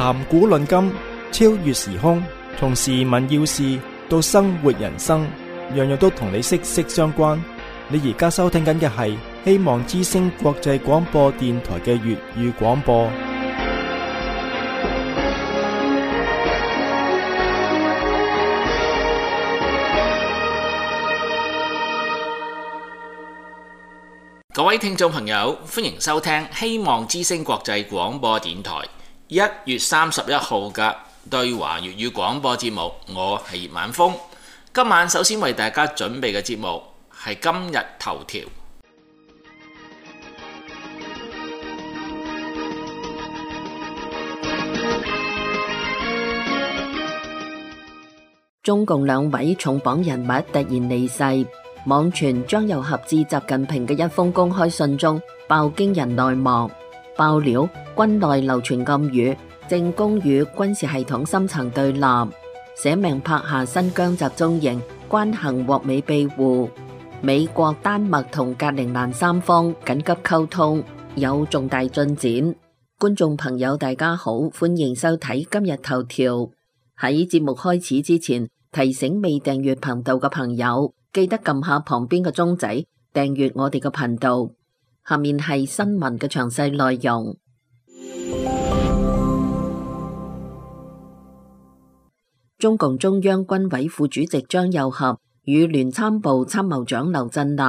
談古論今，超越時空，從時聞要事到生活人生，樣樣都同你息息相關。你而家收聽緊嘅係希望之聲國際廣播電台嘅粵語廣播。各位聽眾朋友，歡迎收聽希望之聲國際廣播電台1月31號嘅對華粵語廣播節目。我係葉晚風，今晚首先為大家準備嘅節目係今日頭條。中共兩位重磅人物突然離世。網傳張又俠致習近平嘅一封公開信中爆驚人內幕，爆料軍內流傳暗語，正攻與軍事系統深層對立，寫明拍下新疆集中營，關幸獲美庇護。美國、丹麥同格陵蘭三方緊急溝通，有重大進展。觀眾朋友大家好，歡迎收睇今日頭條。喺節目開始之前，提醒未訂閱頻道嘅朋友，記得撳下旁邊嘅鐘仔，訂閱我哋嘅頻道。下面係新聞嘅詳細內容。中共中央軍委副主席張又俠與聯參部參謀長劉振立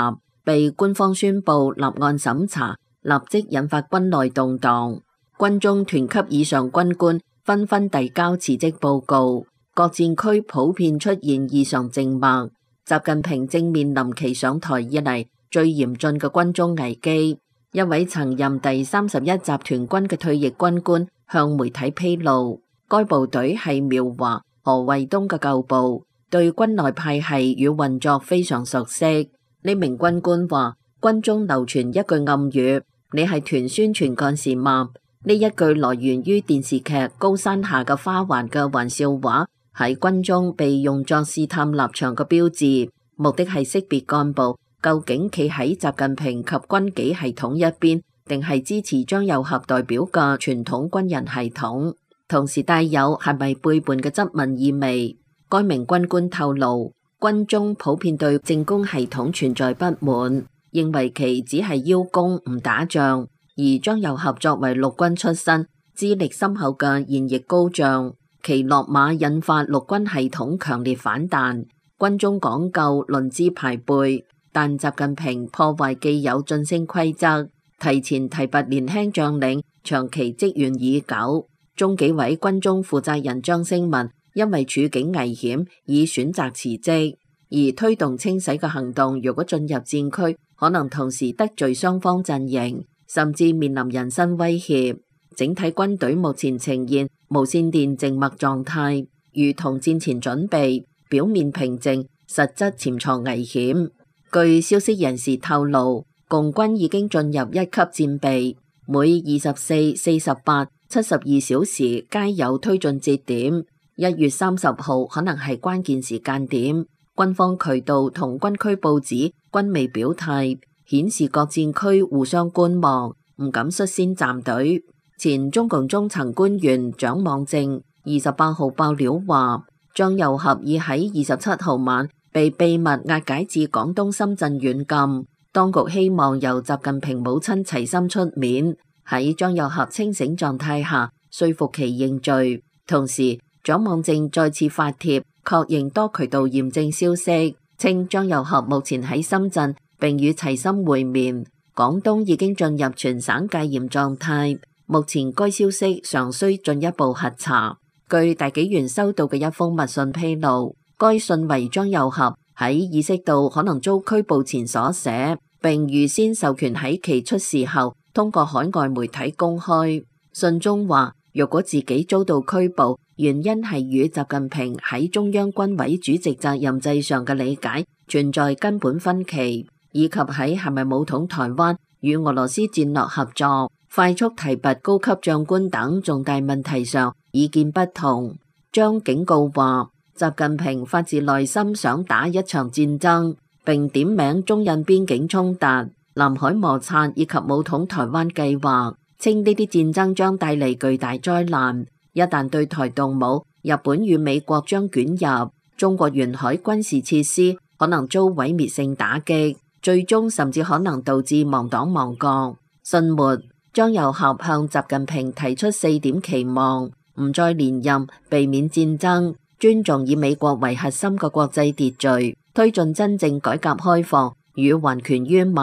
被官方宣布立案審查，立即引發軍內動盪。軍中團級以上軍官紛紛遞交辭職報告，各戰區普遍出現異常靜默。習近平正面臨其上台以嚟最嚴峻嘅軍中危機。一位曾任第31集團軍嘅退役軍官向媒體披露，該部隊係苗華、何衛東嘅舊部，對軍內派系與運作非常熟悉。呢名軍官話，軍中流傳一句暗語：你係團宣傳幹事嗎？呢一句來源於電視劇《高山下嘅花環》嘅玩笑話，喺軍中被用作試探立場嘅標誌，目的係識別幹部究竟企喺習近平及軍紀系統一邊，定係支持張又俠代表嘅傳統軍人系統，同時帶有係咪背叛嘅質問意味。該名軍官透露，軍中普遍對政工系統存在不滿，認為其只係邀功唔打仗，而張又俠作為陸軍出身、資歷深厚嘅現役高將，其落馬引發陸軍系統強烈反彈。軍中講究論資排輩，但習近平破壞既有晉升規則，提前提拔年輕將領，長期積怨已久。中紀委軍中負責人張升文因為處境危險，已選擇辭職。而推動清洗嘅行動，如果進入戰區，可能同時得罪雙方陣營，甚至面臨人身威脅。整體軍隊目前呈現無線電靜默狀態，如同戰前準備，表面平靜，實質潛藏危險。據消息人士透露，共軍已經進入一級戰備，每24、48、72小時皆有推進節點。1月30號可能係關鍵時間點。軍方渠道同軍區報紙均未表態，顯示各戰區互相觀望，唔敢率先站隊。前中共中層官員蔣望正28號爆料話，張又俠已喺27號晚被秘密押解至廣東深圳軟禁，當局希望由習近平母親齊心出面，喺張又俠清醒狀態下說服其認罪。同時，蔣望正再次發帖確認多渠道驗證消息，稱張又俠目前喺深圳並與齊心會面。廣東已經進入全省戒嚴狀態，目前該消息尚需進一步核查。據大紀元收到嘅一封密信披露，該信為張又俠喺意識到可能遭拘捕前所寫，並預先授權喺其出事後通過海外媒體公開。信中話，若果自己遭到拘捕，原因係與習近平喺中央軍委主席責任制上嘅理解存在根本分歧，以及喺係咪武統台灣與俄羅斯戰略合作、快速提拔高級將官等重大問題上意見不同。張警告話，習近平發自內心想打一場戰爭，並點名中印邊境衝突、南海摩擦以及武統台灣計劃，稱呢啲戰爭將帶嚟巨大災難。一旦對台動武，日本與美國將捲入，中國沿海軍事設施可能遭毀滅性打擊，最終甚至可能導致亡黨亡國。信末，張又俠向習近平提出4點期望：唔再連任，避免戰爭，尊重以美國為核心嘅國際秩序，推進真正改革開放與還權於民。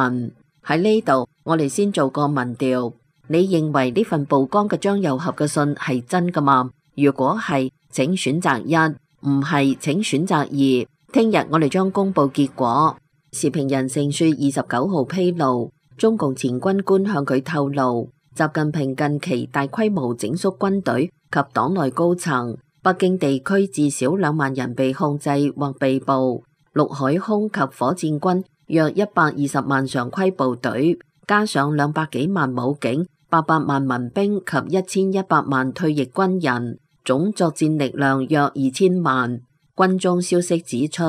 喺呢度，我哋先做個民調，你認為呢份曝光嘅張又俠嘅信係真㗎嘛？如果係，請選擇1；唔係，請選擇2。聽日我哋將公布結果。時評人盛雪29號披露，中共前軍官向佢透露，習近平近期大規模整肅軍隊及黨內高層，北京地區至少2萬人被控制或被捕，陸海空及火箭軍約120萬常規部隊，加上200幾萬武警、800萬民兵及1100萬退役軍人，總作戰力量約2000萬。軍中消息指出，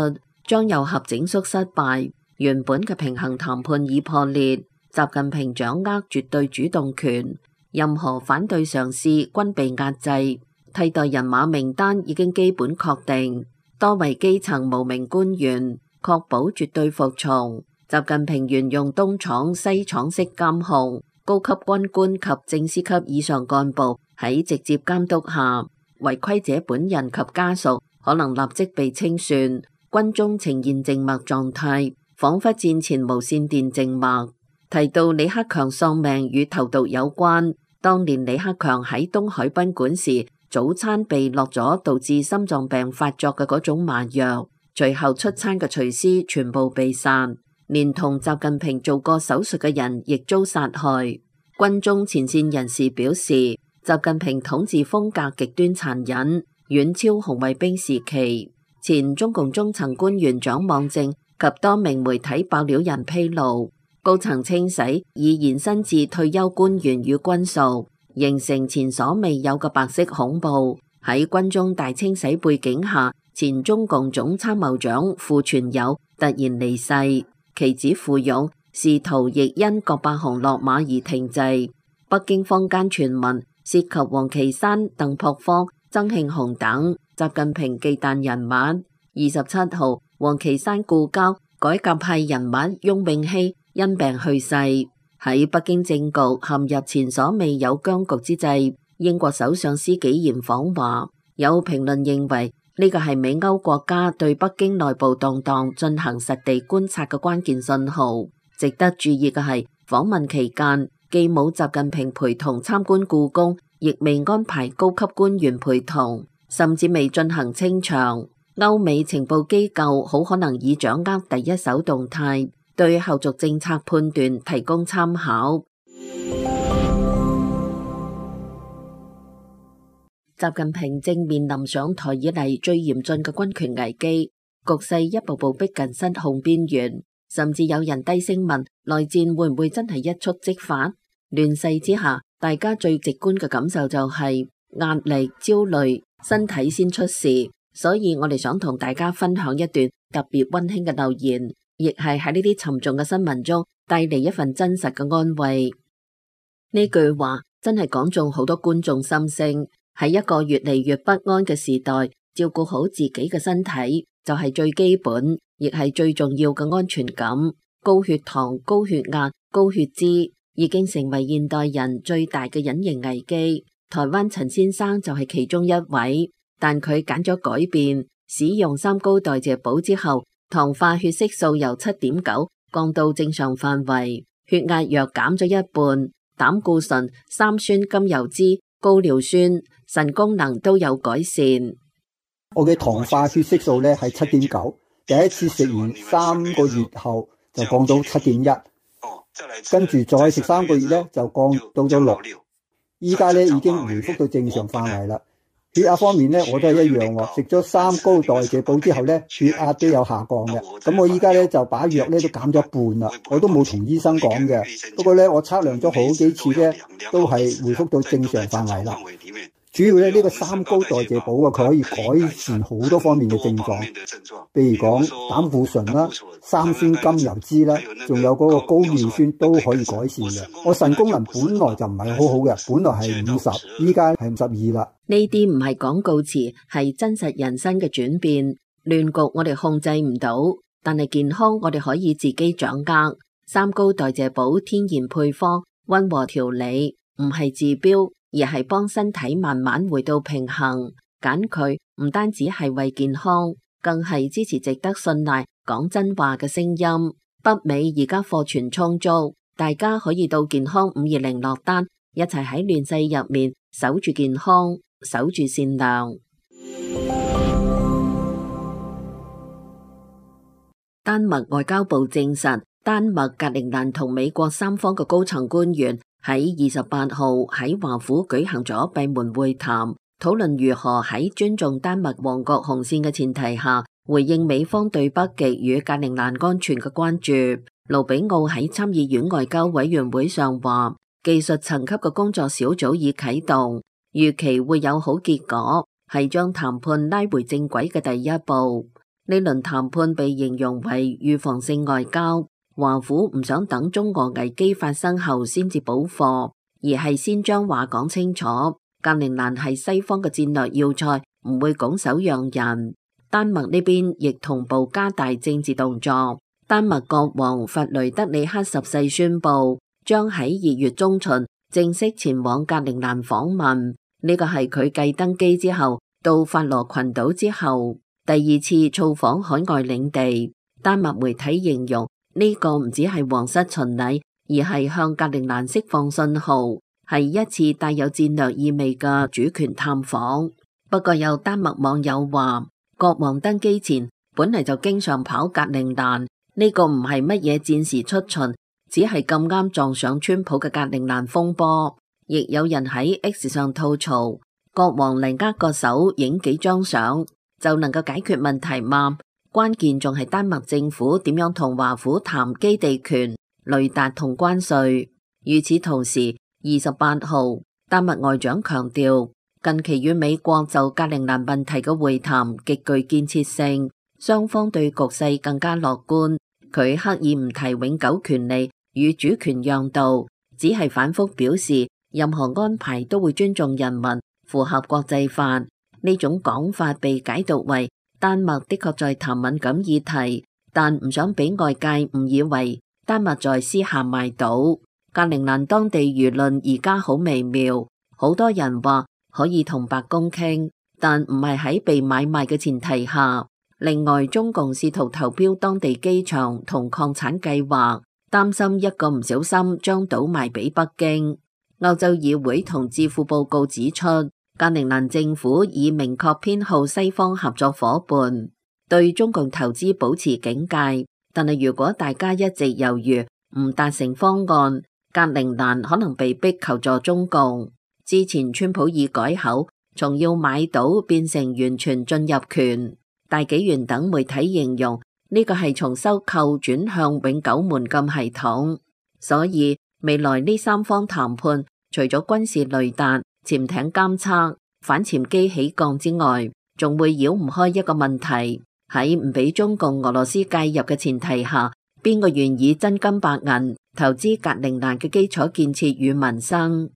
張又俠整肅失敗，原本嘅平衡談判已破裂，習近平掌握絕對主動權，任何反對嘗試均被壓制，替代人馬名單已經基本確定，多為基層無名官員，確保絕對服從。習近平沿用東廠西廠式監控，高級軍官及正司級以上幹部喺直接監督下，違規者本人及家屬可能立即被清算，軍中呈現靜默狀態，仿佛戰前無線電靜默。提到李克強喪命與投毒有關，當年李克強喺東海賓館時，早餐被落咗導致心臟病發作嘅嗰種麻藥，隨後出餐嘅廚師全部被殺，連同習近平做過手術嘅人亦遭殺害。軍中前線人士表示，習近平統治風格極端殘忍，遠超紅衛兵時期。前中共中層官員蔣望正及多名媒體爆料人披露，高層清洗已延伸至退休官員與軍屬，形成前所未有嘅白色恐怖。喺軍中大清洗背景下，前中共總參謀長傅傳友突然離世，其子傅勇仕途亦因郭伯雄落馬而停滯。北京坊間傳聞涉及王岐山、鄧樸方、曾慶紅等習近平忌憚人物。27號，王岐山故交改革派人物翁永熙因病去世。喺北京政局陷入前所未有僵局之際，英國首相施紀賢訪華，有評論認為呢個係美歐國家對北京內部動盪進行實地觀察嘅關鍵信號。值得注意嘅係，訪問期間既冇習近平陪同參觀故宮，亦未安排高級官員陪同，甚至未進行清場。歐美情報機構好可能已掌握第一手動態，對後續政策判斷提供參考。習近平正面臨上台以嚟最嚴峻嘅軍權危機，局勢一步步逼近失控邊緣，甚至有人低聲問內戰會唔會真係一觸即發？亂世之下，大家最直觀嘅感受就係壓力、焦慮，身體先出事。所以我哋想同大家分享一段特別溫馨嘅留言，亦係喺呢啲沉重嘅新聞中帶嚟一份真實嘅安慰。呢句話真係講中好多觀眾心聲。喺一個越嚟越不安嘅時代，照顧好自己嘅身體就係最基本，亦係最重要嘅安全感。高血糖、高血壓、高血脂已經成為現代人最大嘅隱形危機。台灣陳先生就係其中一位。但佢揀咗改變，使用3高代謝補之後，糖化血色素由 7.9 降到正常範圍，血壓藥減咗一半，膽固醇、三酸甘油酯、高尿酸、腎功能都有改善。我嘅糖化血色素咧係 7.9， 第一次食完3個月後就降到 7.1， 跟住再食3個月咧就降到咗6，依家咧已經回復到正常範圍啦。血壓方面咧，我都係一樣喎。食咗3高代謝補之後咧，血壓都有下降嘅。咁我依家咧就把藥咧都減咗一半啦。我都冇同醫生講嘅。不過咧，我測量咗好幾次咧，都係回復到正常範圍啦。主要咧呢個三高代謝寶啊，佢可以改善好多方面嘅症狀，譬如講膽固醇啦、三酸甘油酯啦，仲有嗰個高尿酸都可以改善嘅。我腎功能本來就唔係好好嘅，本來係50，依家係52啦。呢啲唔係廣告詞，係真實人生嘅轉變。亂局我哋控制唔到，但係健康我哋可以自己掌握。三高代謝寶天然配方，溫和調理，唔係治標，而係幫身體慢慢回到平衡。揀佢唔單止係為健康，更係支持值得信賴講真話嘅聲音。北美而家貨存充足，大家可以到健康520落單，一齊喺亂世入面守住健康，守住善良。丹麥外交部證實，丹麥、格陵蘭同美國三方嘅高層官員喺28號喺華府舉行咗閉門會談，討論如何喺尊重丹麥王國紅線嘅前提下，回應美方對北極與格陵蘭安全嘅關注。盧比奧喺參議院外交委員會上話，技術層級嘅工作小組已啟動，預期會有好結果，係將談判拉回正軌嘅第一步。呢輪談判被形容為預防性外交，華府唔想等中俄危機發生後先至補貨，而係先將話講清楚。格陵蘭係西方嘅戰略要塞，唔會拱手讓人。丹麥呢邊亦同步加大政治動作。丹麥國王弗雷德里克十世宣布，將喺2月中旬正式前往格陵蘭訪問。呢個係佢繼登基之後到法羅群島之後第2次造訪海外領地。丹麥媒體形容呢個唔只係皇室巡禮，而係向格陵蘭釋放信號，係一次帶有戰略意味嘅主權探訪。不過有丹麥網友話，國王登基前本嚟就經常跑格陵蘭，呢個唔係乜嘢戰時出巡，只係咁啱撞上川普嘅格陵蘭風波。亦有人喺 X 上吐槽，國王嚟握個手影幾張相就能夠解決問題嗎？關鍵仲係丹麥政府點樣同華府談基地權、雷達同關稅。與此同時，28號丹麥外長強調，近期與美國就格陵蘭問題嘅會談極具建設性，雙方對局勢更加樂觀。佢刻意唔提永久權利與主權讓渡，只係反覆表示任何安排都會尊重人民，符合國際法。呢種講法被解讀為丹麥的確在談敏感議題，但唔想俾外界誤以為丹麥在私下賣島。格陵蘭當地輿論而家好微妙，好多人話可以同白宮傾，但唔係喺被買賣嘅前提下。另外，中共試圖投標當地機場同礦產計劃，擔心一個唔小心將島賣俾北京。歐洲議會同智庫報告指出，格陵蘭政府已明確偏好西方合作夥伴，對中共投資保持警戒。但係如果大家一直猶豫唔達成方案，格陵蘭可能被逼求助中共。之前川普已改口，從要買島變成完全進入權。大紀元等媒體形容呢個係從收購轉向永久門禁系統。所以未來呢三方談判，除咗軍事雷達、潛艇監測、反潛機起降之外，仲會繞唔開一個問題，喺唔俾中共俄羅斯介入嘅前提下，邊個願意真金白銀投資格陵蘭嘅基礎建設與民生？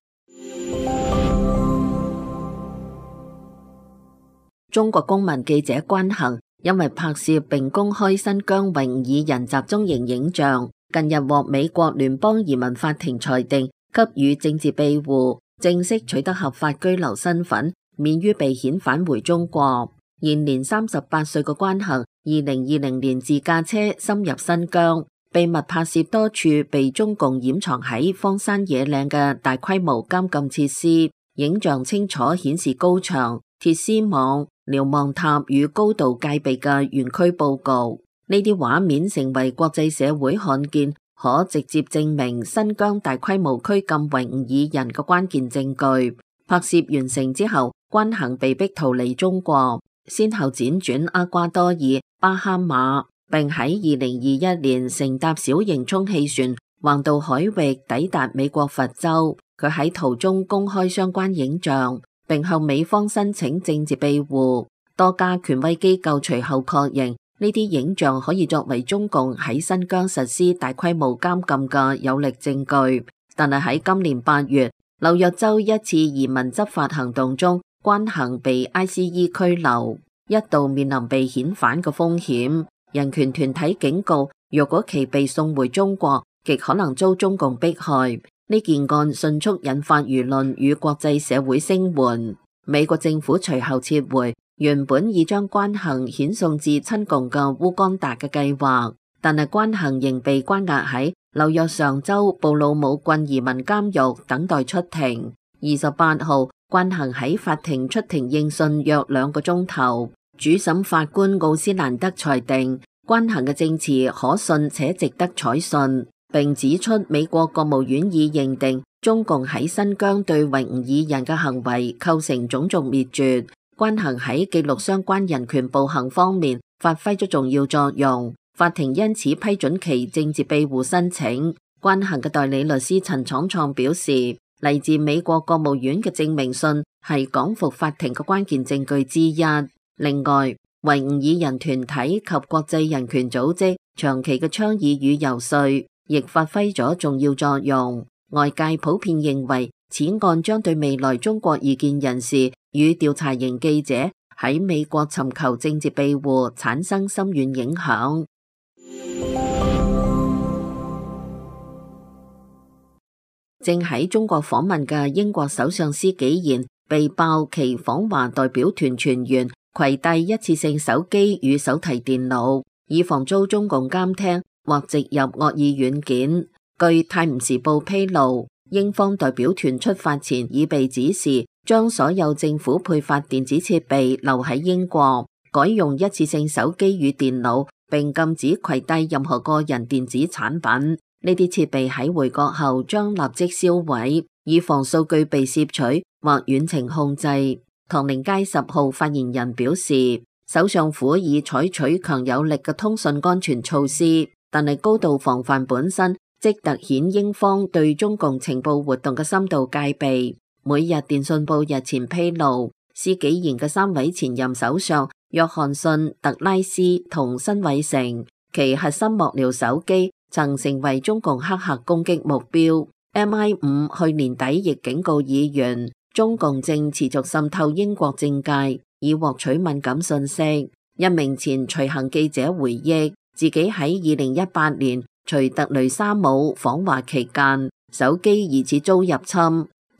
中國公民記者關恒因為拍攝並公開新疆維吾爾人集中營影像，近日獲美國聯邦移民法庭裁定給予政治庇護，正式取得合法居留身份，免於被遣返回中國。現年38歲嘅關恒，2020年自駕車深入新疆，秘密拍攝多處被中共掩藏喺荒山野嶺嘅大規模監禁設施，影像清楚顯示高牆、鐵絲網、瞭望塔與高度戒備嘅園區報告。呢啲畫面成為國際社會看見，可直接證明新疆大規模拘禁維吾爾人嘅關鍵證據。拍攝完成之後，關恒被逼逃離中國，先後輾轉厄瓜多爾、巴哈馬，並喺2021年乘搭小型充氣船橫渡海域抵達美國佛州。佢喺途中公開相關影像。並向美方申請政治庇護。多家權威機構隨後確認，呢啲影像可以作為中共喺新疆實施大規模監禁嘅有力證據。但係喺今年8月，紐約州一次移民執法行動中，關幸被 ICE 拘留，一度面臨被遣返嘅風險。人權團體警告，若果其被送回中國，極可能遭中共迫害。呢件案迅速引發輿論與國際社會聲援。美國政府隨後撤回原本已將關幸遣送至親共嘅烏干達嘅計劃，但係關幸仍被關押喺紐約上州布魯姆郡移民監獄等待出庭。28號，關幸喺法庭出庭應訊約2個鐘頭。主審法官奧斯蘭德裁定關幸嘅證詞可信且值得採信，並指出美國國務院已認定中共喺新疆對維吾爾人嘅行為構成種族滅絕。關幸喺記錄相關人權暴行方面發揮咗重要作用，法庭因此批准其政治庇護申請。關幸嘅代理律師陳闖創表示，嚟自美國國務院嘅證明信係講服法庭嘅關鍵證據之一。另外，維吾爾人團體及國際人權組織長期嘅倡議與游說亦發揮咗重要作用。外界普遍認為，此案將對未來中國異見人士與調查型記者喺美國尋求政治庇護產生深遠影響。正喺中國訪問嘅英國首相施紀賢被爆其訪華代表團全員攜帶一次性手機與手提電腦，以防遭中共監聽或植入惡意軟件。據《泰晤士報》披露，英方代表團出發前已被指示將所有政府配發電子設備留喺英國，改用一次性手機與電腦，並禁止攜帶任何個人電子產品。呢啲設備喺回國後將立即銷毀，以防數據被攝取或遠程控制。唐寧街10號發言人表示，首相府已採取強有力嘅通訊安全措施，但係高度防範本身即凸顯英方對中共情報活動嘅深度戒備。每日電訊報日前披露，施紀賢嘅3位前任首相約翰遜、特拉斯同辛偉誠，其核心幕僚手機曾成為中共黑客攻擊目標。MI5 去年底亦警告議員，中共正持續滲透英國政界，以獲取敏感信息。一名前隨行記者回憶，自己喺2018年隨特雷沙姆訪華期間，手機疑似遭入侵。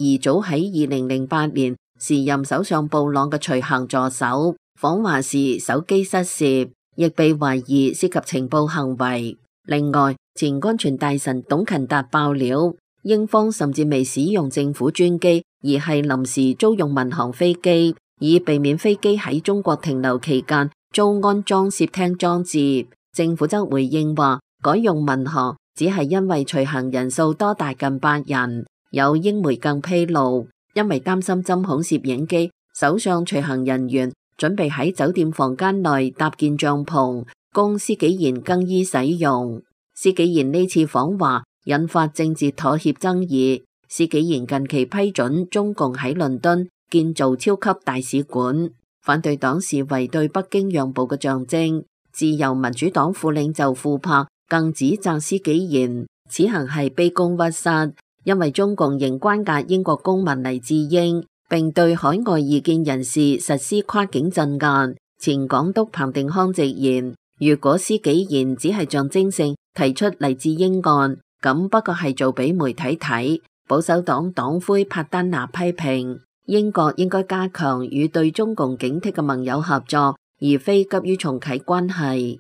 而早喺2008年，時任首相布朗嘅隨行助手訪華時手機失竊，亦被懷疑涉及情報行為。另外，前安全大臣董勤達爆料，英方甚至未使用政府專機，而係臨時租用民航飛機，以避免飛機喺中國停留期間遭安裝竊聽裝置。政府則回應話，改用民航只係因為隨行人數多達近8人。有英媒更披露，因為擔心針孔攝影機，首相隨行人員準備喺酒店房間內搭建帳篷，供施紀賢更衣使用。施紀賢呢次訪華引發政治妥協爭議。施紀賢近期批准中共喺倫敦建造超級大使館，反對黨視為對北京讓步嘅象徵。自由民主黨副領袖庫珀更指責施紀賢此行係卑躬屈膝，因為中共仍關押英國公民黎智英，並對海外異見人士實施跨境鎮壓。前港督彭定康直言，如果施紀賢只係象徵性提出黎智英案，咁不過係做俾媒體睇。保守黨黨魁帕丹拿批評，英國應該加強與對中共警惕嘅盟友合作，而非急於重啟關係。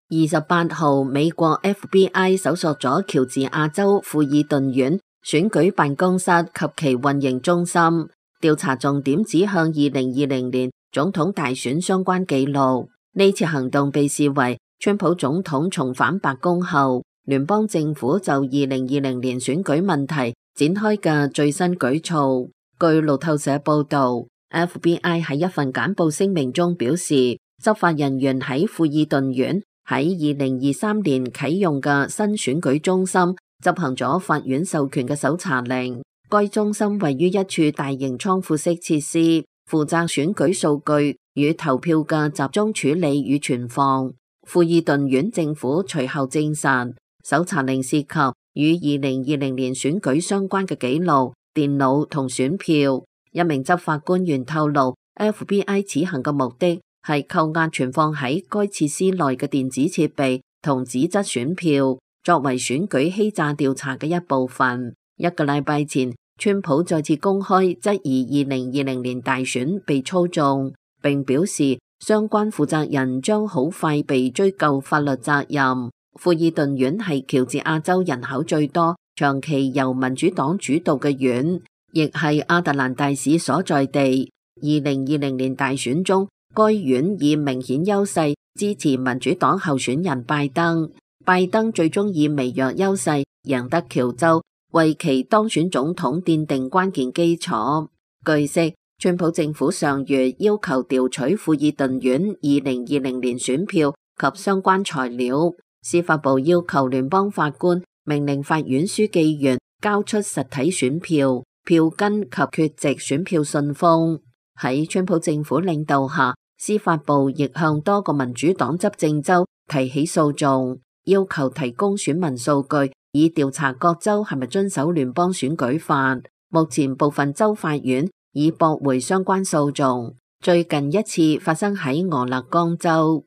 28號，美國 FBI 搜索咗喬治亞州富爾頓縣選舉辦公室及其運營中心，調查重點指向2020年總統大選相關記錄。呢次行動被視為川普總統重返白宮後，聯邦政府就2020年選舉問題展開嘅最新舉措。據路透社報道， FBI 喺一份簡報聲明中表示，執法人員喺富爾頓縣喺2023年啟用嘅新選舉中心執行咗法院授權嘅搜查令。該中心位於一處大型倉庫式設施，負責選舉數據與投票嘅集中處理與存放。富爾頓縣政府隨後證實，搜查令涉及與2020年選舉相關嘅記錄、電腦同選票。一名執法官員透露， FBI 此行嘅目的係扣押存放喺該設施內嘅電子設備同紙質選票，作為選舉欺詐調查嘅一部分。一個禮拜前，川普再次公開質疑2020年大選被操縱，並表示相關負責人將好快被追究法律責任。富爾頓縣係喬治亞州人口最多、長期由民主黨主導嘅縣，亦係亞特蘭大市所在地。2020年大選中，該縣以明顯優勢支持民主黨候選人拜登，拜登最終以微弱優勢贏得喬州，為其當選總統奠定關鍵基礎。據悉，川普政府上月要求調取富爾頓縣2020年選票及相關材料，司法部要求聯邦法官命令法院書記員交出實體選票、票根及缺席選票信封。喺川普政府領導下，司法部亦向多個民主黨執政州提起訴訟，要求提供選民數據，以調查各州係咪遵守聯邦選舉法。目前部分州法院已駁回相關訴訟。最近一次發生喺俄勒岡州。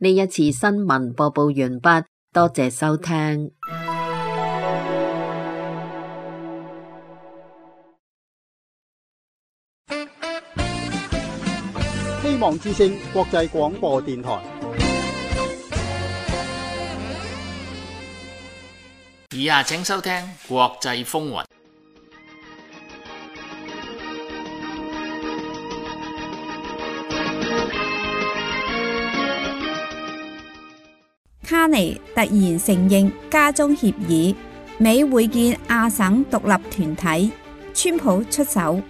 呢一次新聞播報完畢，多謝收聽。希望之聲國際廣播電台。以下請收聽國際風雲。卡尼突然承認加中協議，美會見亞省獨立團體，川普出手。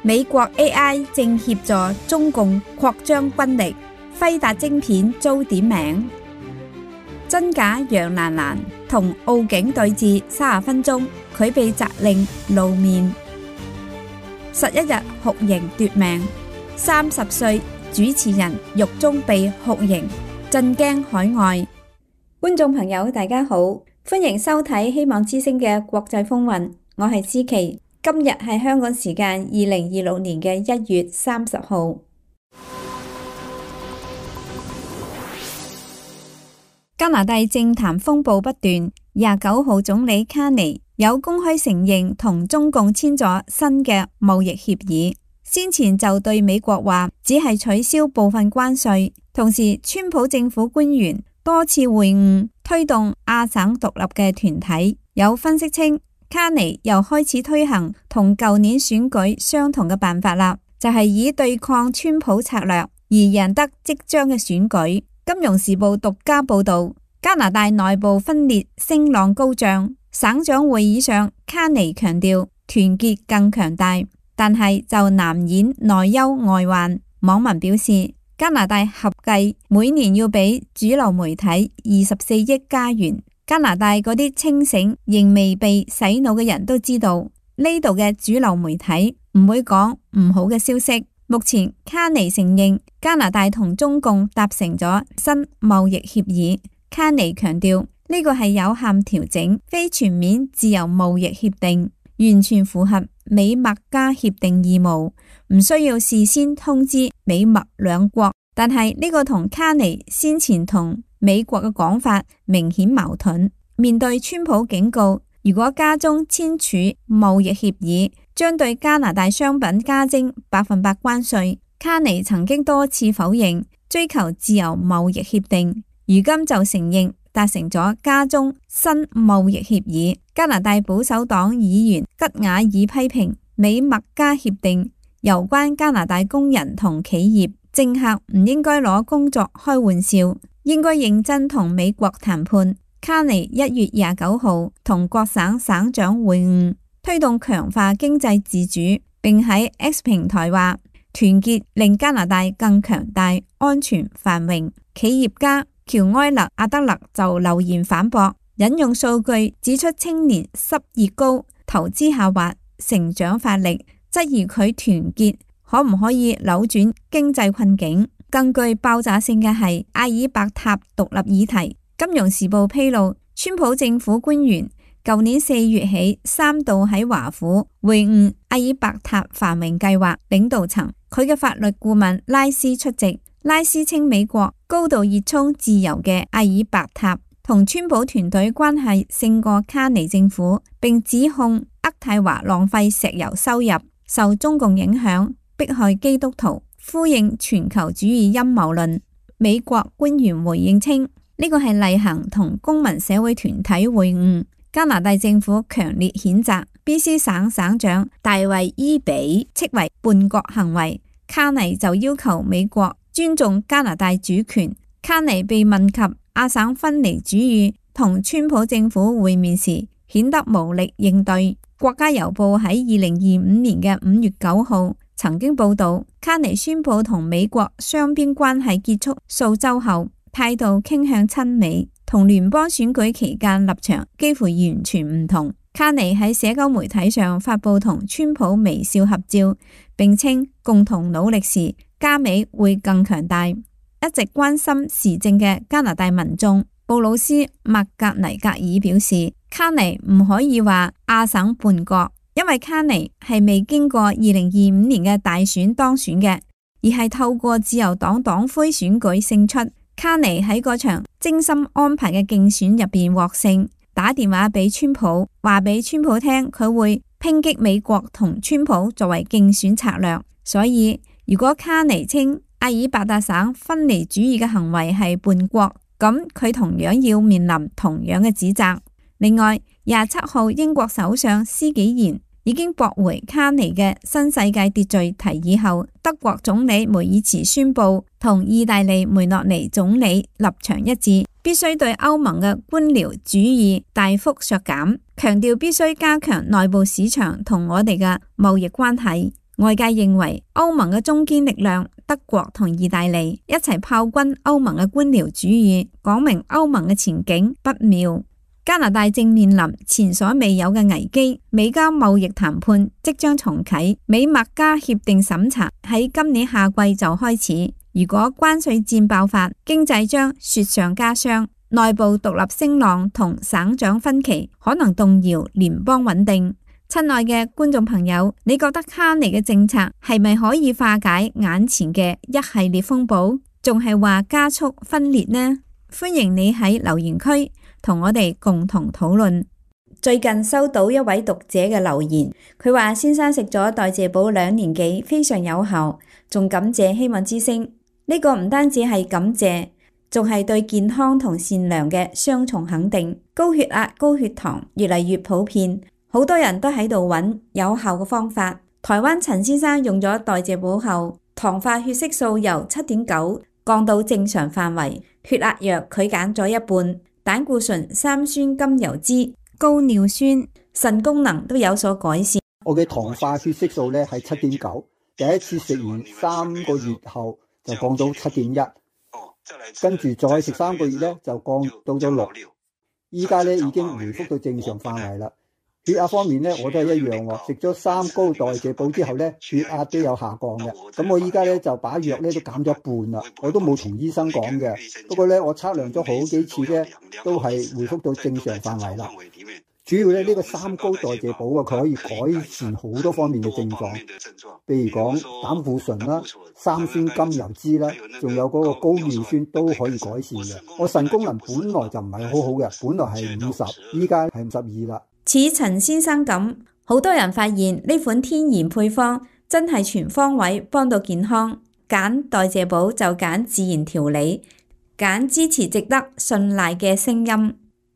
美國 AI 正協助中共擴張軍力，輝達晶片遭點名。真假楊蘭蘭同奧警對峙30分鐘，佢被責令露面。11日酷刑奪命，30歲主持人獄中被酷刑，震驚海外。觀眾朋友大家好，歡迎收睇希望之聲嘅國際風雲，我係思琪。今日係香港時間2026年嘅1月30號。加拿大政壇風暴不斷，29號總理卡尼有公開承認同中共簽咗新嘅貿易協議，先前就對美國話只係取消部分關稅，同時川普政府官員多次會晤推動亞省獨立嘅團體。有分析稱，卡尼又開始推行同舊年選舉相同嘅辦法啦，就係以對抗川普策略而贏得即將嘅選舉。金融時報獨家報道，加拿大內部分裂聲浪高漲，省長會議上卡尼強調團結更強大，但係就難掩內憂外患。網民表示，加拿大合計每年要俾主流媒體24億加元。加拿大嗰啲清醒仍未被洗腦嘅人都知道，呢度嘅主流媒體唔會講唔好嘅消息。目前卡尼承認加拿大同中共達成咗新貿易協議。卡尼強調呢個係有限調整，非全面自由貿易協定，完全符合美墨加協定義務，唔需要事先通知美墨兩國。但係呢個同卡尼先前同美國嘅講法明顯矛盾。面對川普警告，如果加中簽署貿易協議，將對加拿大商品加徵100%關稅。卡尼曾經多次否認追求自由貿易協定，如今就承認達成咗加中新貿易協議。加拿大保守黨議員吉瓦爾批評美墨加協定攸關加拿大工人同企業，政客唔應該攞工作開玩笑，應該認真同美國談判。卡尼1月29號同各省省長會晤，推動強化經濟自主，並喺 X 平台話團結令加拿大更強大、安全、繁榮。企業家喬埃勒阿德勒就留言反駁，引用數據指出青年失業高、投資下滑、成長乏力，質疑佢團結可唔可以扭轉經濟困境。更具爆炸性嘅係阿爾伯塔獨立議題。金融時報披露，川普政府官員舊年4月起3度喺華府會晤阿爾伯塔繁榮計劃領導層，佢嘅法律顧問拉斯出席。拉斯稱美國高度熱衷自由嘅阿爾伯塔同川普團隊關係勝過卡尼政府，並指控渥太華浪費石油收入、受中共影響、迫害基督徒，呼應全球主義陰謀論。美國官員回應稱，呢個係例行同公民社會團體會晤。加拿大政府強烈譴責 BC 省省長大衛伊比斥為叛國行為。卡尼就要求美國尊重加拿大主權。卡尼被問及亞省分離主義同川普政府會面時，顯得無力應對。國家郵報喺2025年嘅5月9號曾經報道，卡尼宣布同美國雙邊關係結束數週後，態度傾向親美，同聯邦選舉期間立場幾乎完全唔同。卡尼喺社交媒體上發布同川普微笑合照，並稱共同努力時，加美會更強大。一直關心時政嘅加拿大民眾布魯斯麥格尼格爾表示，卡尼唔可以話亞省叛國，因為卡尼係未經過2025年嘅大選當選嘅，而係透過自由黨黨魁選舉勝出。卡尼喺嗰場精心安排嘅競選入邊獲勝，打電話俾川普，話俾川普聽佢會抨擊美國同川普作為競選策略。所以如果卡尼稱阿爾伯塔省分離主義嘅行為係叛國，咁佢同樣要面臨同樣嘅指責。另外，27號英國首相施紀賢已經駁回卡尼嘅新世界秩序提議後，德國總理梅爾茨宣布同意大利梅洛尼總理立場一致，必須對歐盟嘅官僚主義大幅削減，強調必須加強內部市場同我哋嘅貿易關係。外界認為歐盟嘅中堅力量德國同意大利一齊炮轟歐盟嘅官僚主義，講明歐盟嘅前景不妙。加拿大正面臨前所未有嘅危機，美加貿易談判即將重啟，美墨加協定審查喺今年夏季就開始。如果關稅戰爆發，經濟將雪上加霜，內部獨立聲浪同省長分歧可能動搖聯邦穩定。親愛嘅觀眾朋友，你覺得卡尼嘅政策係咪可以化解眼前嘅一系列風暴，仲係話加速分裂呢？歡迎你喺留言區同我哋共同討論。最近收到一位讀者嘅留言，佢話先生食咗代謝寶2年幾，非常有效，仲感謝希望之聲。呢個唔單止係感謝，仲係對健康同善良嘅雙重肯定。高血壓、高血糖越嚟越普遍，好多人都喺度揾有效嘅方法。台灣陳先生用咗代謝寶後，糖化血色素由 7.9 降到正常範圍，血壓藥佢減咗一半，膽固醇、三酸甘油脂、高尿酸、腎功能都有所改善。我嘅糖化血色素咧係 7.9， 第一次食完3個月後就降到 7.1， 跟住再食3個月咧就降到咗6，依家咧已經回復到正常範圍啦。血壓方面咧，我都係一樣喎。食咗3高代謝寶之後咧，血壓都有下降嘅。咁我依家咧就把藥咧都減咗一半啦。我都冇同醫生講嘅。不過咧，我測量咗好幾次咧，都係回復到正常範圍啦。主要咧呢個3高代謝寶啊，佢可以改善好多方面嘅症狀，譬如講膽固醇啦、三酸甘油脂啦，仲有嗰個高尿酸都可以改善嘅。我腎功能本來就唔係好好嘅，本來係50，依家係52啦。似陳先生咁，好多人發現呢款天然配方真係全方位幫到健康。揀代謝寶就揀自然調理，揀支持值得信賴嘅聲音。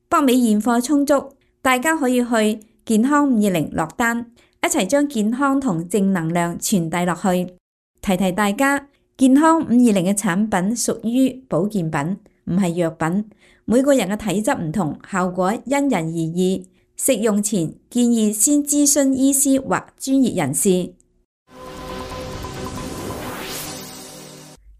北美現貨充足，大家可以去健康520落單，一齊將健康同正能量傳遞落去。提提大家，健康520嘅產品屬於保健品，唔係藥品。每個人嘅體質唔同，效果因人而異。食用前建議先諮詢醫師或專業人士。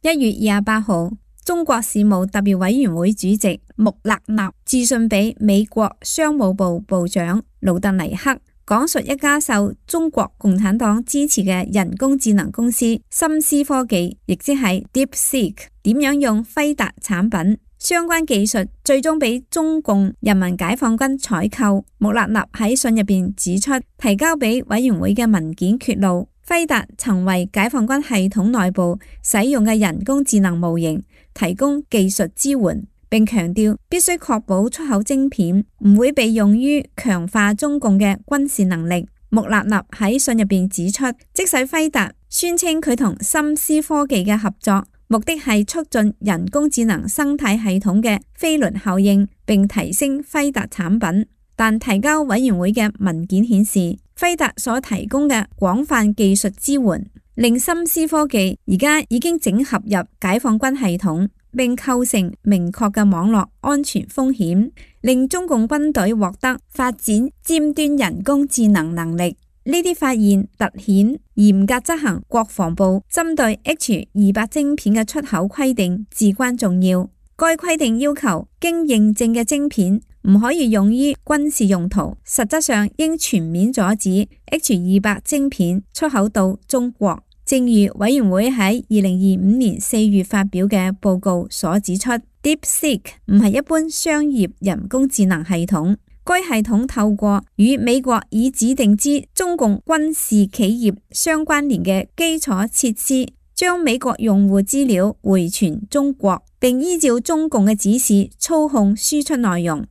1月28號，中國事務特別委員會主席穆勒納致信俾美國商務部部長盧特尼克，講述一家受中國共產黨支持嘅人工智能公司深思科技，亦即係 DeepSeek 點樣用輝達產品。相關技術最終俾中共人民解放軍採購。穆勒納喺信入邊指出，提交俾委員會嘅文件揭露，輝達曾為解放軍系統內部使用嘅人工智能模型提供技術支援，並強調必須確保出口晶片唔會被用於強化中共嘅軍事能力。穆勒納喺信入邊指出，即使輝達宣稱佢同深思科技嘅合作目的係促進人工智能生態系統嘅飛輪效應，並提升輝達產品，但提交委員會嘅文件顯示，輝達所提供嘅廣泛技術支援，令深思科技而家已經整合入解放軍系統，並構成明確嘅網絡安全風險，令中共軍隊獲得發展尖端人工智能能力。呢啲發現凸顯嚴格執行國防部針對 H200 晶片嘅出口規定至關重要。該規定要求經認證嘅晶片唔可以用於軍事用途，實質上應全面阻止 H200 晶片出口到中國。正如委員會喺2025年4月發表嘅報告所指出， DeepSeek 唔係一般商業人工智能系統。該系統透過與美國已指定之中共軍事企業相關聯嘅基礎設施，將美國用戶資料回傳中國，並依照中共嘅指示操控輸出內容。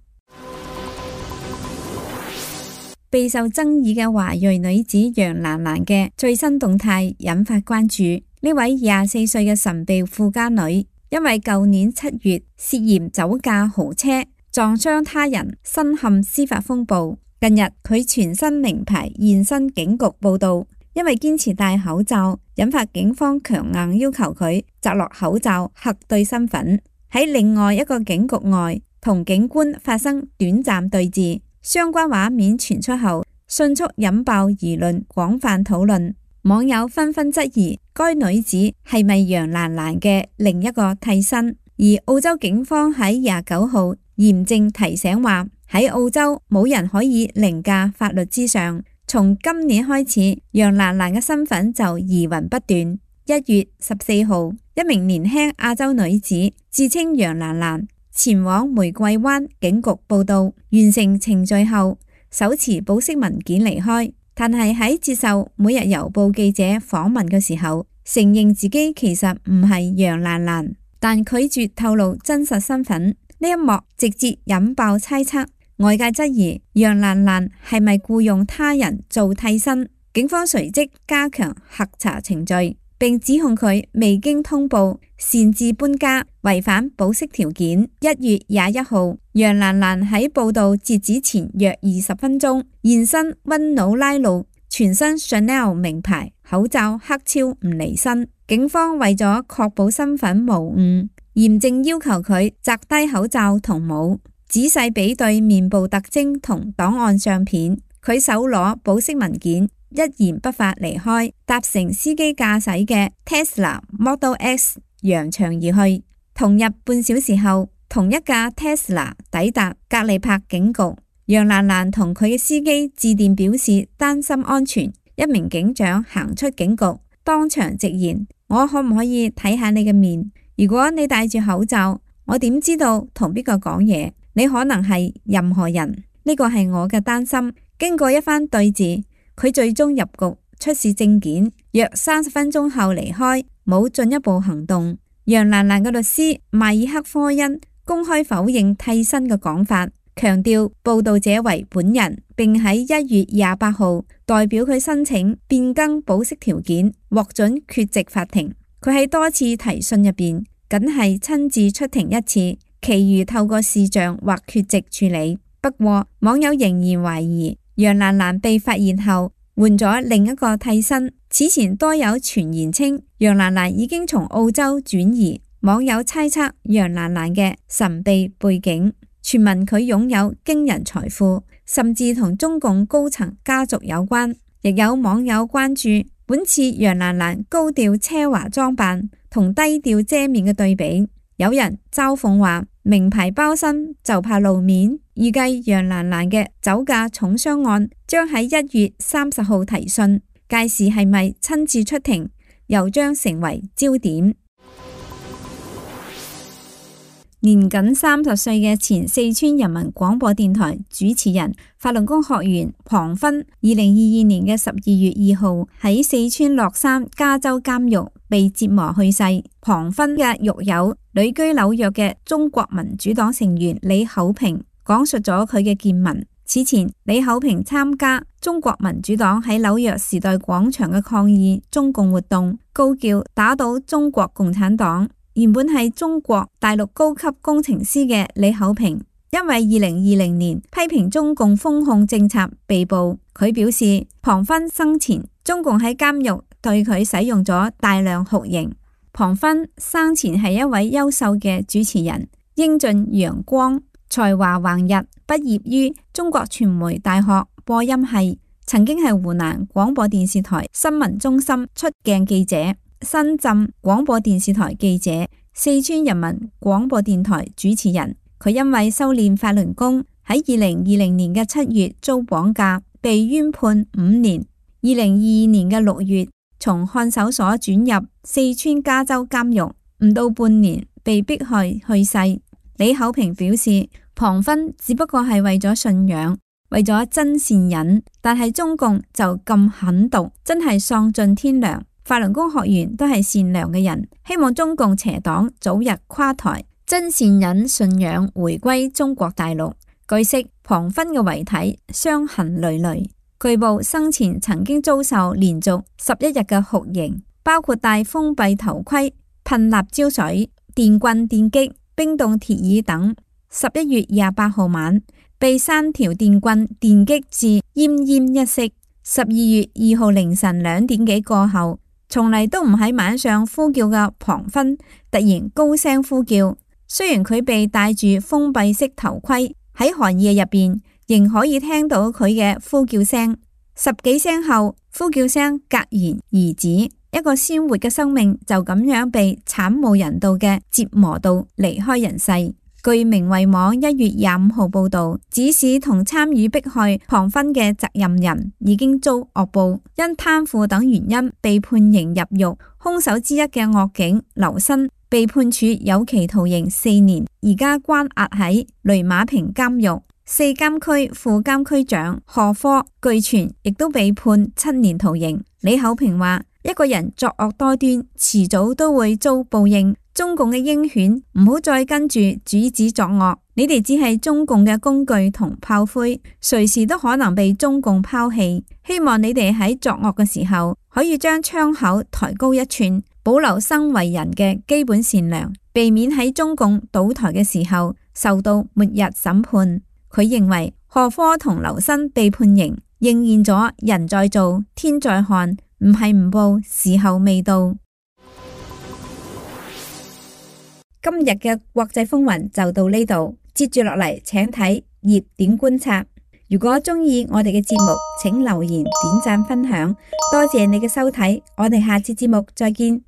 備受爭議嘅華裔女子楊蘭蘭嘅最新動態引發關注。呢位24歲嘅神秘富家女，因為舊年7月涉嫌酒駕豪車撞傷他人，身陷司法風暴。近日佢全身名牌現身警局報到，因為堅持戴口罩，引發警方強硬要求佢摘落口罩核對身份。喺另外一個警局外，同警官發生短暫對峙，相關畫面傳出後，迅速引爆輿論，廣泛討論。網友紛紛質疑該女子係咪楊蘭蘭嘅另一個替身。而澳洲警方喺29號嚴正提醒話，喺澳洲冇人可以凌駕法律之上。從今年開始，楊蘭蘭嘅身份就疑雲不斷。1月14號，一名年輕亞洲女子自稱楊蘭蘭，前往玫瑰灣警局報到，完成程序後，手持保釋文件離開。但係喺接受每日郵報記者訪問嘅時候，承認自己其實唔係楊蘭蘭，但拒絕透露真實身份。呢一幕直接引爆猜測，外界質疑楊蘭蘭係咪僱用他人做替身。警方隨即加強核查程序，並指控佢未經通報擅自搬家，違反保釋條件。1月21號，楊蘭蘭喺報到截止前約20分鐘現身溫努拉路，全身 Chanel 名牌，口罩黑超唔離身。警方為咗確保身份無誤，嚴正要求佢摘低口罩同帽，仔細比對面部特徵同檔案相片。佢手攞保釋文件，一言不發離開，搭乘司機駕駛嘅 Tesla Model X 揚長而去。同日半小時後，同一架 Tesla 抵達格利柏警局。楊蘭蘭同佢嘅司機致電表示擔心安全。一名警長行出警局，當場直言：我可唔可以睇下你嘅面？如果你戴住口罩，我點知道同邊個講嘢？你可能係任何人。呢個係我嘅擔心。經過一番對峙，佢最終入局，出示證件，約30分鐘後離開，冇進一步行動。楊蘭蘭嘅律師邁爾克科恩公開否認替身嘅講法，強調報道者為本人，並喺1月28號代表佢申請變更保釋條件，獲准缺席法庭。佢喺多次提訊入邊，僅係親自出庭一次，其餘透過視像或缺席處理。不過網友仍然懷疑楊蘭蘭被發現後換咗另一個替身。此前多有傳言稱楊蘭蘭已經從澳洲轉移，網友猜測楊蘭蘭嘅神秘背景，傳聞佢擁有驚人財富，甚至同中共高層家族有關。亦有網友關注本次楊蘭蘭高調奢華裝扮同低調遮面嘅對比，有人嘲諷話，名牌包身就怕露面。預計楊蘭蘭嘅酒駕重傷案將喺1月30號提訊，屆時係咪親自出庭，又將成為焦點。年僅30歲嘅前四川人民廣播電台主持人、法輪功學員龐勳，2022年嘅12月2號喺四川樂山加州監獄被折磨去世。龐勳嘅獄友、旅居紐約嘅中國民主黨成員李厚平講述咗佢嘅見聞。此前，李厚平參加中國民主黨喺紐約時代廣場嘅抗議中共活動，高叫打倒中國共產黨。原本係中國大陸高級工程師嘅李厚平，因為2020年批評中共封控政策被捕。佢表示，龐勳生前中共喺監獄對佢使用咗大量酷刑。龐勳生前係一位優秀嘅主持人，英俊陽光，才華橫溢，畢業於中國傳媒大學播音系，曾經係湖南廣播電視台新聞中心出鏡記者、深圳廣播電視台記者、四川人民廣播電台主持人。佢因為修煉法輪功，喺2020年嘅7月遭綁架，被冤判5年。2022年嘅6月，從看守所轉入四川加州監獄，唔到半年被迫害去世。李厚平表示，龐勳只不過係為咗信仰，為咗真善忍，但係中共就咁狠毒，真係喪盡天良。法輪功學員都係善良嘅人，希望中共邪黨早日垮台，真善忍信仰回歸中國大陸。據悉，龐勳嘅遺體傷痕累累，據報生前曾經遭受連續11日嘅酷刑，包括戴封閉頭盔、噴辣椒水、電棍電擊、冰凍鐵椅等。11月28號晚，被3條電棍電擊至奄奄一息。12月2號凌晨2點幾過後，從嚟都唔喺晚上呼叫嘅龐勳突然高聲呼叫，雖然佢被戴住封閉式頭盔，喺寒夜入邊仍可以聽到佢嘅呼叫聲。10幾聲後，呼叫聲戛然而止，一個鮮活嘅生命就咁樣被慘無人道嘅折磨到離開人世。據明慧網1月25號報道，指使同參與迫害龐勳嘅責任人已經遭惡報，因貪腐等原因被判刑入獄。兇手之一嘅惡警劉新被判處有期徒刑4年，而家關押喺雷馬坪監獄。4監區副監區長賀科據傳亦都被判7年徒刑。李厚平話：一個人作惡多端，遲早都會遭報應。中共嘅鷹犬唔好再跟住主子作惡，你哋只係中共嘅工具同炮灰，隨時都可能被中共拋棄。希望你哋喺作惡嘅時候，可以將槍口抬高1寸，保留生為人嘅基本善良，避免喺中共倒台嘅時候受到末日審判。佢認為賀科同劉新被判刑，應驗咗人在做天在看，唔係唔報，時候未到。今日嘅國際風雲就到呢度，接住落嚟請睇熱點觀察。如果中意我哋嘅節目，請留言、點讚、分享，多謝你嘅收睇，我哋下次節目再見。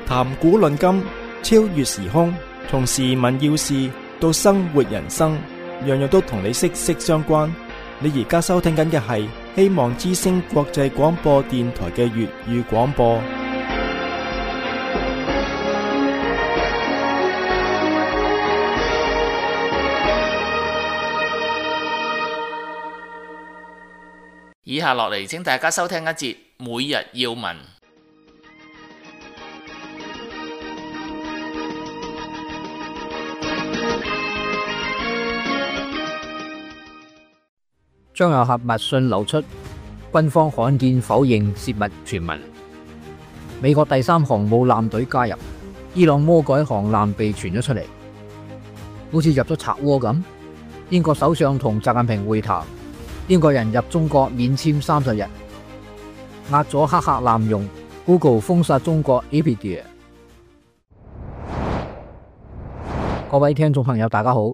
談古論今，超越時空，從時聞要事到生活人生，樣樣都同你息息相關。你而家收聽緊嘅係希望之聲國際廣播電台嘅粵語廣播。以下落嚟，請大家收聽一節每日要聞。張又俠密信流出，軍方罕見否認洩密傳聞。美國第3航母艦隊加入，伊朗魔改航艦被傳咗出嚟，好似入咗賊窩咁。英國首相同習近平會談，英國人入中國免簽30日，壓咗黑客濫用 ，Google 封殺中國 Wikipedia。各位聽眾朋友，大家好，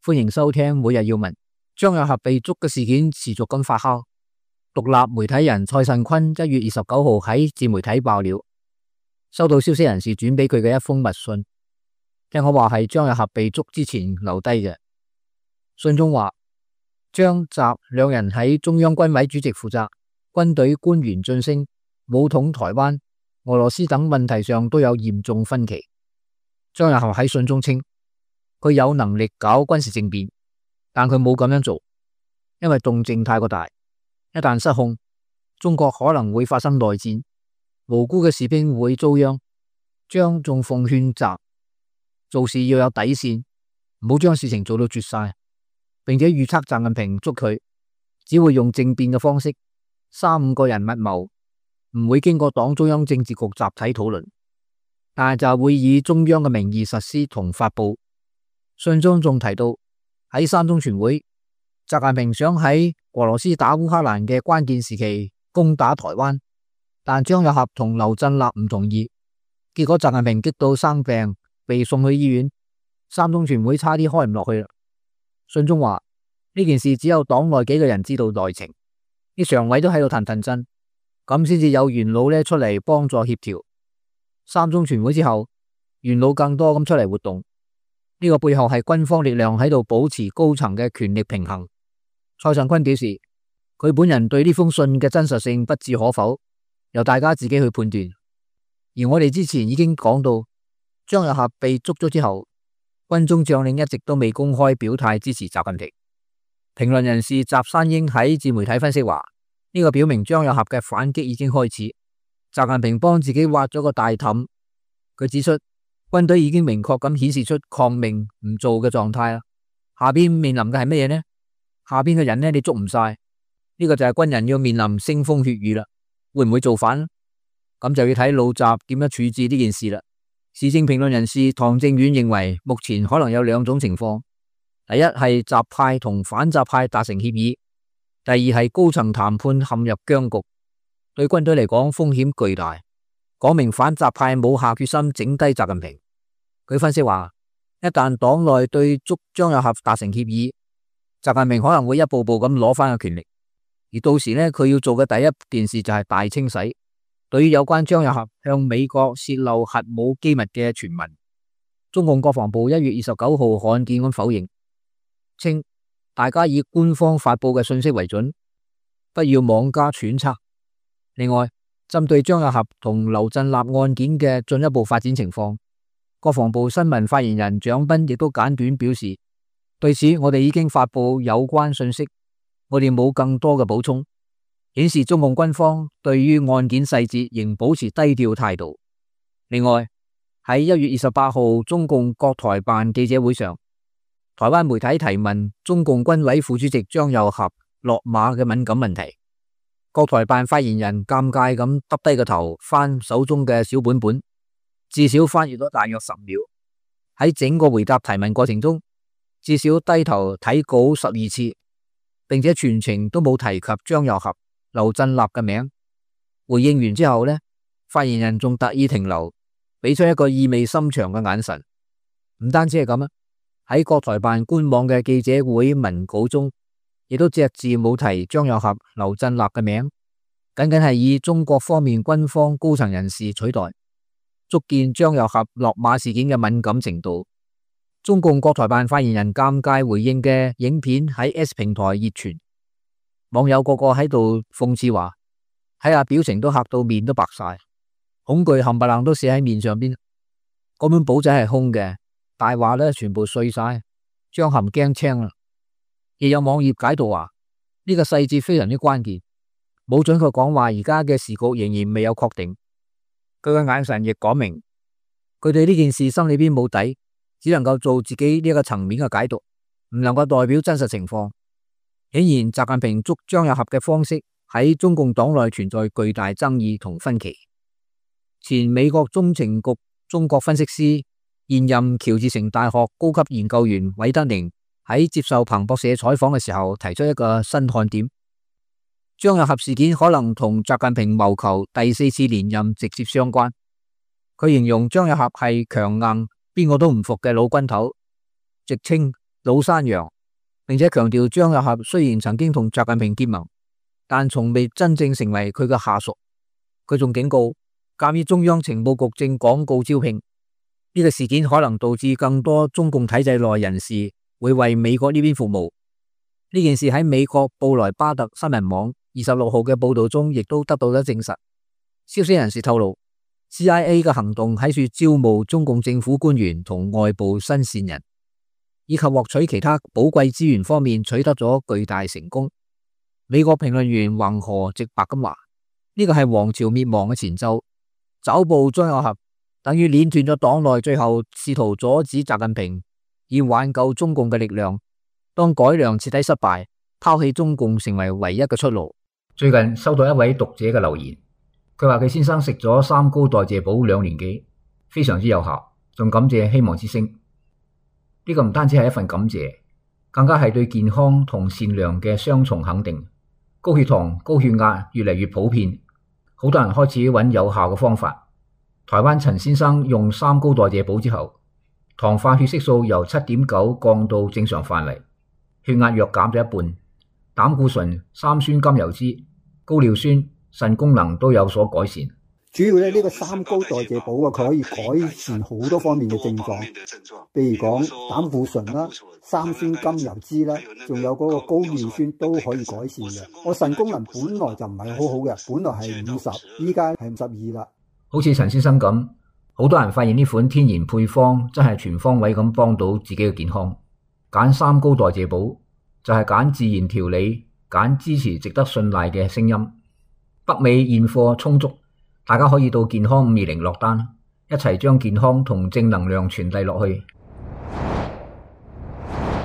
歡迎收聽每日要聞。張又俠被捉嘅事件持續咁發酵。獨立媒體人蔡慎坤1月29號喺自媒體爆料，收到消息人士轉俾佢嘅一封密信，聽講話係張又俠被捉之前留低嘅。信中話，張習兩人喺中央軍委主席負責軍隊官員晉升、武統台灣、俄羅斯等問題上都有嚴重分歧。張又俠喺信中稱，佢有能力搞軍事政變，但佢冇咁樣做，因為動靜太過大，一旦失控，中國可能會發生內戰，無辜嘅士兵會遭殃。張仲奉勸習做事要有底線，唔好將事情做到絕晒，並且預測習近平捉佢只會用政變嘅方式，3-5個人密謀，唔會經過黨中央政治局集體討論，但係就會以中央嘅名義實施同發佈。信中仲提到喺三中全會，習近平想喺俄羅斯打烏克蘭嘅關鍵時期攻打台灣，但張又俠同劉振立唔同意，結果習近平激到生病，被送去醫院，三中全會差啲開唔落去啦。信中話呢件事只有黨內幾個人知道內情，啲常委都喺度騰騰震，咁先至有元老出嚟幫助協調。三中全會之後，元老更多咁出嚟活動，呢個背後係軍方力量喺度保持高層嘅權力平衡。蔡慎坤表示，佢本人對呢封信嘅真實性不置可否，由大家自己去判斷。而我哋之前已經講到，張又俠被捉咗之後，軍中將領一直都未公開表態支持習近平。評論人士習山英喺自媒體分析話，呢個表明張又俠嘅反擊已經開始，習近平幫自己挖咗個大氹。佢指出，軍隊已經明確咁顯示出抗命唔做嘅狀態啦。下邊面臨嘅係乜嘢呢？下邊嘅人呢，你捉唔晒，呢個就係軍人要面臨腥風血雨啦。會唔會造反？咁就要睇老習點樣處置呢件事啦。時政評論人士唐正遠認為，目前可能有兩種情況：第一係習派同反習派達成協議；第二係高層談判陷入僵局。對軍隊嚟講風險巨大，講明反習派冇下決心整低習近平。佢分析話，一旦黨內對捉張又俠達成協議，習近平可能會一步步咁攞翻個權力，而到時呢，佢要做嘅第一件事就係大清洗。對於有關張又俠向美國泄露核武機密嘅傳聞，中共國防部1月29號罕見咁否認，稱大家以官方發佈嘅信息為準，不要妄加揣測。另外，針對張又俠同劉振立案件嘅進一步發展情況，國防部新聞發言人蔣斌亦都簡短表示，對此我哋已經發佈有關信息，我哋冇更多嘅補充，顯示中共軍方對於案件細節仍保持低調態度。另外，喺1月28號中共國台辦記者會上，台灣媒體提問中共軍委副主席張又俠落馬嘅敏感問題，國台辦發言人尷尬咁耷低個頭翻手中嘅小本本，至少翻閱咗大約10秒。喺整個回答提問過程中，至少低頭睇稿12次，並且全程都冇提及張又俠、劉振立嘅名。回應完之後呢，發言人仲特意停留，俾出一個意味深長嘅眼神。唔單止係咁啊，喺國台辦官網嘅記者會文稿中，亦都隻字冇提張又俠、劉振立嘅名，僅僅係以中國方面軍方高層人士取代，足見張又俠落馬事件嘅敏感程度。中共國台辦發言人尷尬回應嘅影片喺 S 平台熱傳，網友個個喺度諷刺話，睇下表情都嚇到面都白晒，恐懼冚唪唥都寫喺面上邊。嗰本簿仔係空嘅，大話咧全部碎晒，張含驚青啦。亦有網頁解讀話，呢個細節非常之關鍵，冇準確講話而家嘅時局仍然未有確定。佢嘅眼神亦講明，佢對呢件事心裏邊冇底，只能夠做自己呢個層面嘅解讀，唔能夠代表真實情況。顯然，習近平捉張又俠嘅方式喺中共黨內存在巨大爭議同分歧。前美國中情局中國分析師、現任喬治城大學高級研究員韋德寧喺接受彭博社採訪嘅時候，提出一個新看點：張又俠事件可能同習近平謀求第4次連任直接相關。佢形容張又俠係強硬，邊個都唔服嘅老軍頭，直稱老山羊，並且強調張又俠雖然曾經同習近平結盟，但從未真正成為佢嘅下屬。佢仲警告，鑑於中央情報局正廣告招聘，呢個事件可能導致更多中共體制內人士會為美國呢邊服務。呢件事喺美國布萊巴特新聞網26號嘅報道中亦都得到咗證實。消息人士透露， CIA 嘅行動喺處招募中共政府官員同外部新線人，以及獲取其他寶貴資源方面取得咗巨大成功。美國評論員橫河直白咁話，呢個係王朝滅亡嘅前奏，抓捕張又俠等於鏈斷咗黨內最後試圖阻止習近平以挽救中共嘅力量。當改良徹底失敗，拋棄中共成為唯一嘅出路。最近收到一位讀者嘅留言，佢話佢先生食咗三高代謝寶2年幾，非常之有效，仲感謝希望之聲。呢個唔單止係一份感謝，更加係對健康同善良嘅雙重肯定。高血糖、高血壓越嚟越普遍，好多人開始揾有效嘅方法。台灣陳先生用三高代謝寶之後，糖化血色素由 7.9 降到正常範圍，血壓藥減咗一半，膽固醇、三酸甘油酯、高尿酸、腎功能都有所改善。主要呢個三高代謝寶啊，佢可以改善好多方面嘅症狀，譬如講膽固醇啦、三酸甘油酯啦，仲有嗰個高尿酸都可以改善嘅。我腎功能本來就唔係好好嘅，本來係50，依家係52啦。好似陳先生咁，好多人發現呢款天然配方真係全方位咁幫到自己嘅健康。揀三高代謝寶就係揀自然調理，揀支持值得信賴嘅聲音。北美現貨充足，大家可以到健康520落單，一齊將健康同正能量傳遞落去。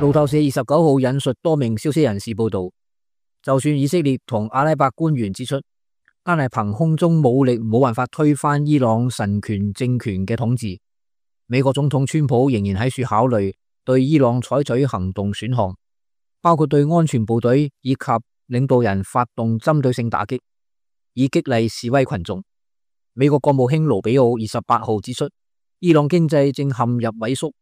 路透社29號引述多名消息人士報道，就算以色列同阿拉伯官員指出，單係憑空中武力冇辦法推翻伊朗神權政權嘅統治，美國總統川普仍然喺處考慮對伊朗採取行動選項，包括對安全部隊以及領導人發動針對性打擊，以激勵示威群眾。美國國務卿盧比奧28號指出，伊朗經濟正陷入萎縮，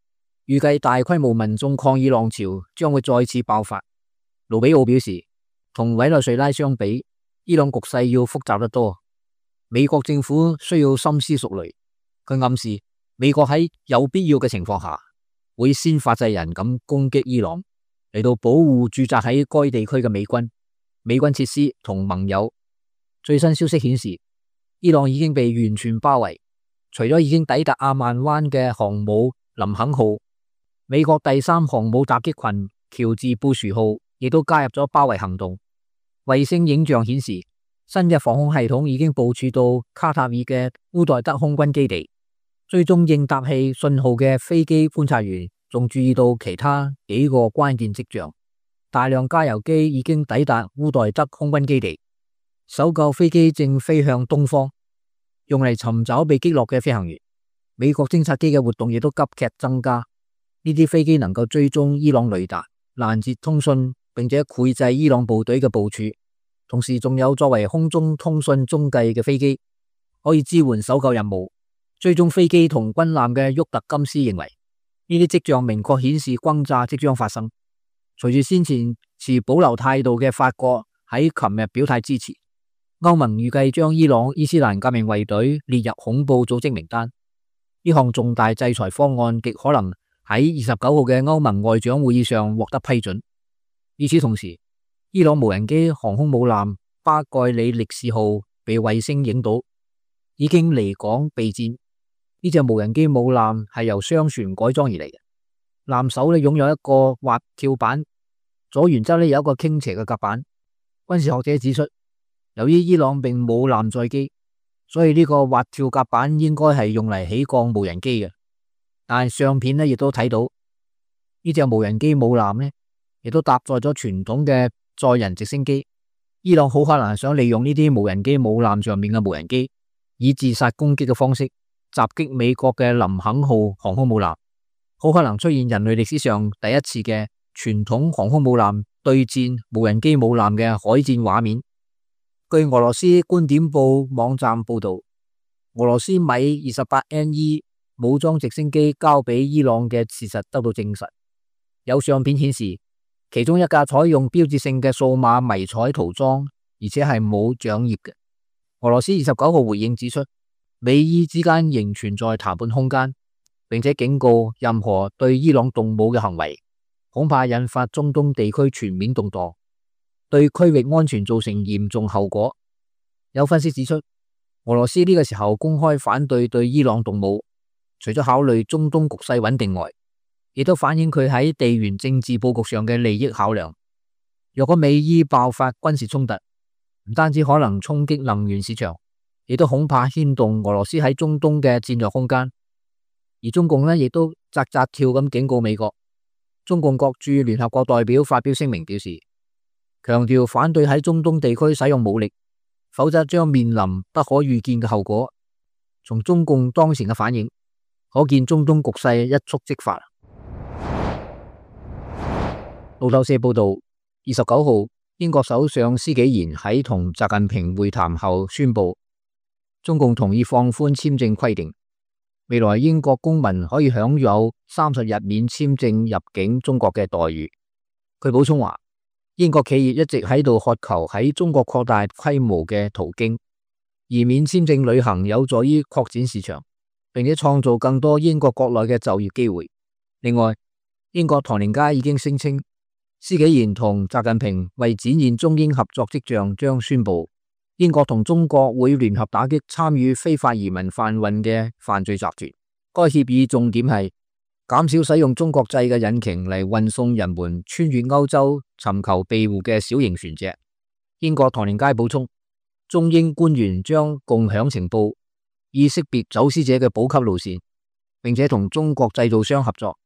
預計大規模民眾抗議浪潮將會再次爆發。盧比奧表示，同委內瑞拉相比，伊朗局勢要複雜得多，美國政府需要深思熟慮。佢暗示美國喺有必要嘅情況下，會先發制人咁攻擊伊朗，嚟到保護駐紮喺該地區嘅美軍設施同盟友。最新消息顯示，伊朗已經被完全包圍，除咗已經抵達阿曼灣嘅航母林肯號，美國第3航母襲擊群喬治布殊號亦都加入咗包圍行動。衛星影像顯示，新嘅防空系統已經部署到卡塔爾嘅烏代德空軍基地。追蹤應答器信號嘅飛機觀察員仲注意到其他幾個關鍵跡象，大量加油機已經抵達烏代德空軍基地，搜救飛機正飛向東方，用嚟尋找被擊落嘅飛行員。美國偵察機嘅活動亦都急劇增加，呢啲飛機能夠追蹤伊朗雷達、攔截通訊，並且繪製伊朗部隊嘅部署，同時仲有作為空中通訊中繼嘅飛機，可以支援搜救任務。追蹤飛機同軍艦嘅沃特金斯認為，呢啲跡象明確顯示轟炸即將發生。隨住先前持保留態度嘅法國喺琴日表態支持，歐盟預計將伊朗伊斯蘭革命衛隊列入恐怖組織名單。呢項重大制裁方案極可能喺29號嘅歐盟外長會議上獲得批准。與此同時，伊朗無人機航空母艦巴蓋里力士號被衛星影到，已經離港備戰。呢隻無人機母艦係由雙船改裝而嚟嘅，艦首擁有一個滑跳板，左舷側有一個傾斜嘅甲板。軍事學者指出，由於伊朗並冇艦載機，所以呢個滑跳甲板應該係用嚟起降無人機嘅。但係相片亦都睇到呢隻無人機母艦亦都搭載咗傳統嘅載人直升機。伊朗好可能係想利用呢啲無人機母艦上面嘅無人機，以自殺攻擊嘅方式襲擊美國嘅林肯號航空母艦，好可能出現人類歷史上第一次嘅傳統航空母艦對戰無人機母艦嘅海戰畫面。據俄羅斯觀點報網站報道，俄羅斯米 28NE 武裝直升機交俾伊朗嘅事實得到證實。有相片顯示，其中一架採用標誌性嘅數碼迷彩塗裝，而且係冇掌葉嘅。俄羅斯29號回應指出，美伊之間仍存在談判空間，並且警告任何對伊朗動武嘅行為，恐怕引發中東地區全面動盪，對區域安全造成嚴重後果。有分析指出，俄羅斯呢個時候公開反對伊朗動武，除咗考慮中東局勢穩定外，亦都反映佢喺地緣政治佈局上嘅利益考量。若果美伊爆發軍事衝突，唔單止可能衝擊能源市場，亦都恐怕牽動俄羅斯喺中東嘅戰略空間。而中共呢，亦都扎扎跳咁警告美國。中共國駐聯合國代表發表聲明表示，強調反對喺中東地區使用武力，否則將面臨不可預見嘅後果。從中共當前嘅反應，可見中東局勢一觸即發。路透社報道，29號英國首相施紀賢喺同習近平會談後宣布，中共同意放寬簽證規定，未來英國公民可以享有30日免簽證入境中國嘅待遇。佢補充話，英國企業一直喺度渴求喺中國擴大規模嘅途徑，而免簽證旅行有助於擴展市場，並且創造更多英國國內嘅就業機會。另外，英國唐寧街已經聲稱，施紀賢同習近平為展現中英合作跡象，將宣布英國同中國會聯合打擊參與非法移民販運嘅犯罪集團。該協議重點係減少使用中國製嘅引擎嚟運送人們穿越歐洲尋求庇護嘅小型船隻。英國唐寧街補充，中英官員將共享情報，以識別走私者嘅補給路線，並且同中國製造商合作，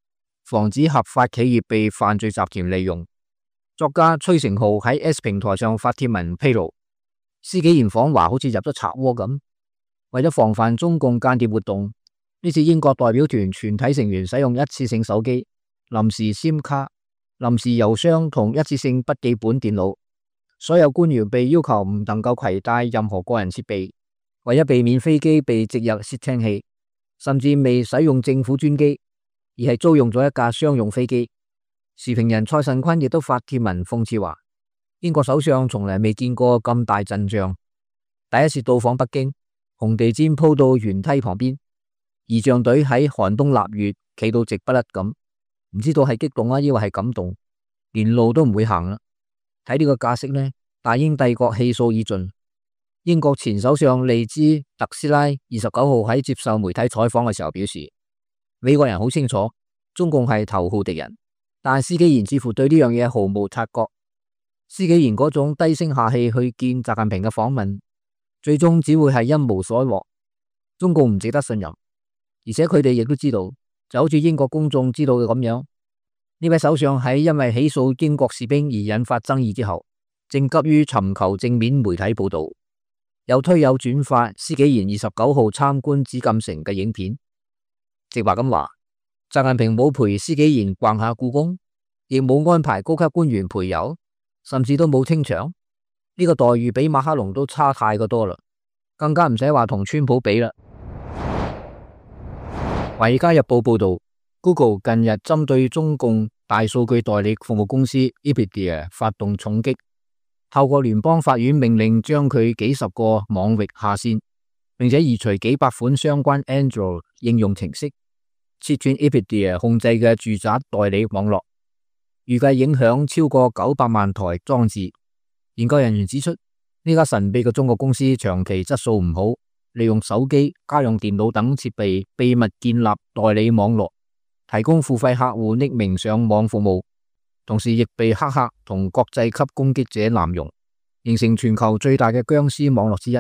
防止合法企業被犯罪集團利用。作家崔成浩喺 S 平台上發帖文披露，施紀賢訪華好似入咗賊窩咁。為咗防範中共間諜活動，呢次英國代表團全體成員使用一次性手機、臨時 SIM 卡、臨時郵箱同一次性筆記本電腦。所有官員被要求唔能夠攜帶任何個人設備，為咗避免飛機被植入竊聽器，甚至未使用政府專機，而係租用咗一架商用飛機。時評人蔡慎坤亦都發帖文諷刺話，英國首相從來未見過咁大陣仗，第一次到訪北京，紅地毯鋪到懸梯旁邊，儀仗隊喺寒冬臘月企到直不甩咁，唔知道係激動啊，抑或係感動，連路都唔會行啦。睇呢個架勢呢，大英帝國氣數已盡。英國前首相利茲特斯拉29號喺接受媒體採訪嘅時候表示，美國人好清楚中共係頭號敵人，但施紀賢似乎對呢樣嘢毫無察覺。施紀賢嗰種低聲下氣去見習近平嘅訪問，最終只會係一無所獲。中共唔值得信任，而且佢哋亦都知道，就好似英國公眾知道嘅咁樣，呢位首相喺因為起訴英國士兵而引發爭議之後，正急於尋求正面媒體報道，有推有轉發施紀賢29號參觀紫禁城嘅影片。直話咁話，習近平冇陪施紀賢逛下故宮，亦冇安排高級官員陪遊，甚至都冇清場。呢個待遇比馬克龍都差太過多啦，更加唔使話同川普比啦。華爾街日報報道，Google 近日針對中共大數據代理服務公司 Expedia 發動重擊，透過聯邦法院命令將佢幾十個網域下線，並且移除幾百款相關 Android 應用程式，切斷 Expedia 控制嘅住宅代理網絡，預計影響超過900萬台裝置。研究人員指出，呢家神秘嘅中國公司長期質素唔好，利用手機、家用電腦等設備秘密建立代理網絡，提供付費客戶匿名上網服務，同時亦被黑客同國際級攻擊者濫用，形成全球最大嘅僵屍網絡之一。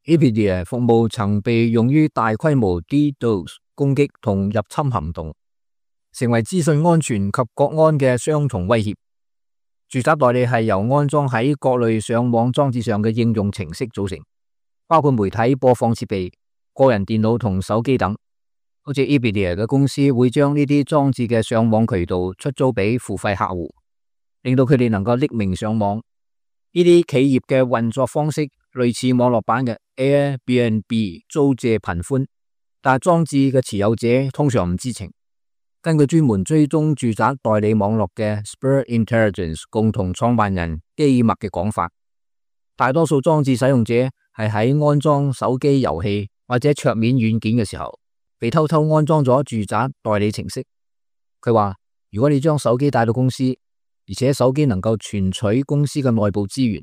Expedia 服務曾被用於大規模 DDoS 攻擊同入侵行動，成為資訊安全及國安嘅雙重威脅。住宅代理係由安裝喺各類上網裝置上嘅應用程式組成，包括媒體播放設備、個人電腦同手機等。好似 Expedia 嘅公司會將呢啲裝置嘅上網渠道出租俾付費客戶，令到佢哋能夠匿名上網。呢啲企業嘅運作方式類似網絡版嘅 Airbnb 租借頻寬，但係裝置嘅持有者通常唔知情。根據專門追蹤住宅代理網絡嘅 Spur Intelligence 共同創辦人基默嘅講法，大多數裝置使用者係喺安裝手機遊戲或者桌面軟件嘅時候，被偷偷安裝咗住宅代理程式。佢話，如果你將手機帶到公司，而且手機能夠存取公司嘅內部資源，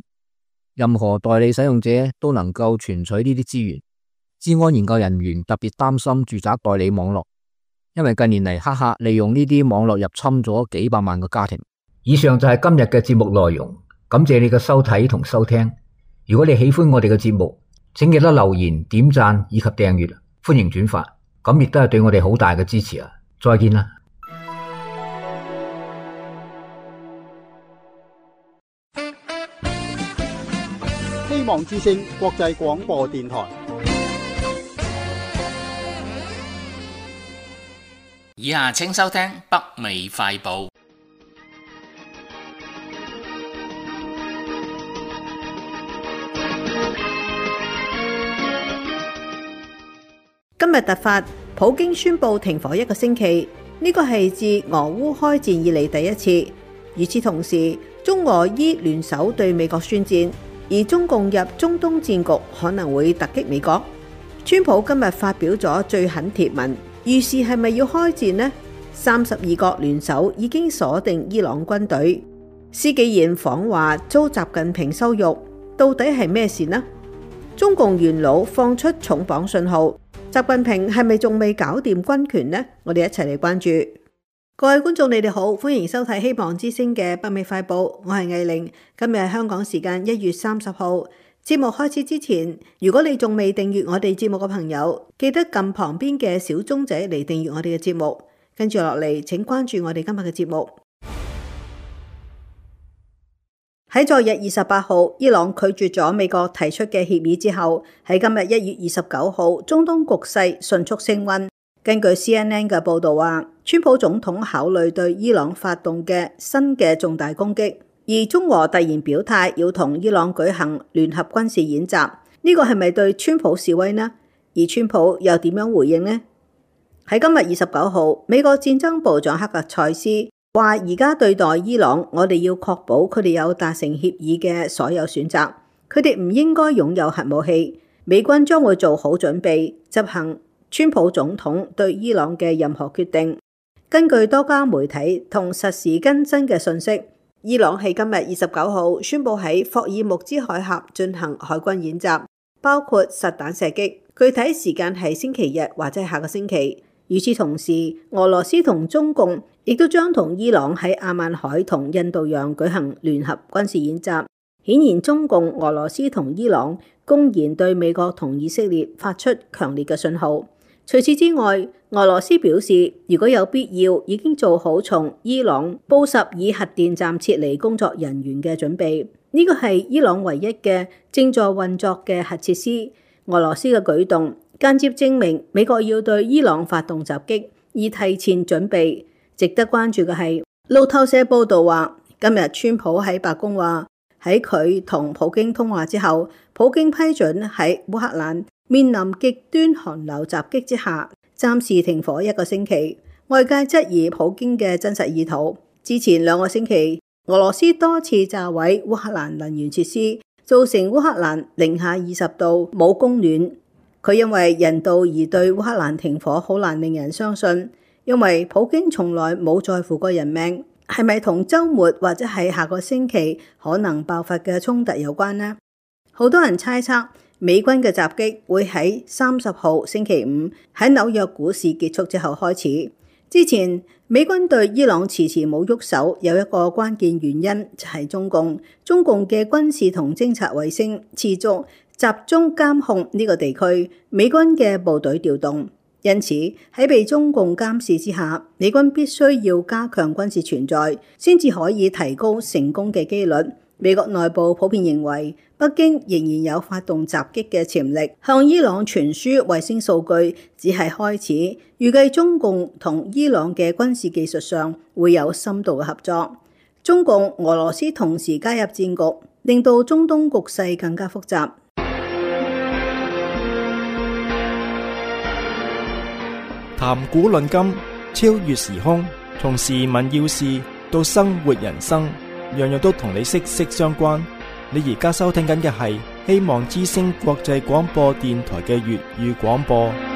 任何代理使用者都能夠存取呢啲資源。資安研究人員特別擔心住宅代理網絡，因為近年嚟黑客利用呢啲網絡入侵咗幾百萬個家庭。以上就係今日嘅節目內容，感謝你嘅收睇同收聽。如果你喜歡我哋嘅節目，請記得留言、點讚以及訂閱，歡迎轉發，咁亦都係對我哋好大嘅支持啊！再見啦！希望之聲國際廣播電台。以下請收聽北美快報。今日突發，普京宣布停火1個星期，呢個係自俄烏開戰以嚟第一次。與此同時，中俄伊聯手對美國宣戰，而中共入中東戰局可能會突擊美國。川普今日發表咗最狠貼文，預示係咪要開戰呢？32國聯手已經鎖定伊朗軍隊。施紀賢訪華遭習近平羞辱，到底係咩事呢？中共元老放出重磅信號，習近平係咪仲未搞掂軍權呢？我哋一齊嚟關注。各位觀眾，你哋好，歡迎收睇希望之聲嘅北美快報，我係藝玲。今日係香港時間1月30號。節目開始之前，如果你仲未訂閱我哋節目嘅朋友，記得撳旁邊嘅小鐘仔嚟訂閱我哋嘅節目。跟住落嚟，請關注我哋今日嘅節目。喺昨日28號，伊朗拒絕咗美國提出嘅協議之後，喺今日1月29號，中東局勢迅速升溫。根據 CNN 嘅報導話，川普總統考慮對伊朗發動嘅新嘅重大攻擊，而中俄突然表態要同伊朗舉行聯合軍事演習，呢個係咪對川普示威呢？而川普又點樣回應呢？喺今日29號，美國戰爭部長克格塞斯話：而家對待伊朗，我哋要確保佢哋有達成協議嘅所有選擇，佢哋唔應該擁有核武器。美軍將會做好準備，執行川普總統對伊朗嘅任何決定。根據多家媒體同實時更新嘅信息，伊朗喺今日29號宣布喺霍爾木茲海峽進行海軍演習，包括實彈射擊，具體時間係星期日或者下個星期。與此同時，俄羅斯同中共亦都將同伊朗喺阿曼海同印度洋舉行聯合軍事演習。顯然，中共、俄羅斯同伊朗公然對美國同以色列發出強烈嘅信號。除此之外，俄羅斯表示，如果有必要，已經做好從伊朗布什爾核電站撤離工作人員嘅準備。呢個係伊朗唯一嘅正在運作嘅核設施。俄羅斯嘅舉動間接證明美國要對伊朗發動襲擊，以提前準備。值得關注嘅係，路透社報道話，今日川普喺白宮話，喺佢同普京通話之後，普京批准喺烏克蘭面臨極端寒流襲擊之下，暫時停火1個星期。外界質疑普京嘅真實意圖。之前2個星期，俄羅斯多次炸毀烏克蘭能源設施，造成烏克蘭零下20度冇供暖。佢因為人道而對烏克蘭停火好難令人相信，因為普京從來冇在乎過人命。係咪同週末或者係下個星期可能爆發嘅衝突有關呢？好多人猜測美軍嘅襲擊會喺30號星期五喺紐約股市結束之後開始。之前美軍對伊朗遲遲冇喐手，有一個關鍵原因就係中共嘅軍事同偵察衛星持續集中監控呢個地區，美軍嘅部隊調動。因此喺被中共監視之下，美軍必須要加強軍事存在，先至可以提高成功嘅機率。美國內部普遍認為，北京仍然有發動襲擊嘅潛力。向伊朗傳輸衛星數據只係開始，預計中共同伊朗嘅軍事技術上會有深度嘅合作。中共、俄羅斯同時加入戰局，令到中東局勢更加複雜。談古論今，超越時空，從時聞要事到生活人生，樣樣都同你息息相關。你而家收聽緊嘅係希望之聲國際廣播電台嘅粵語廣播。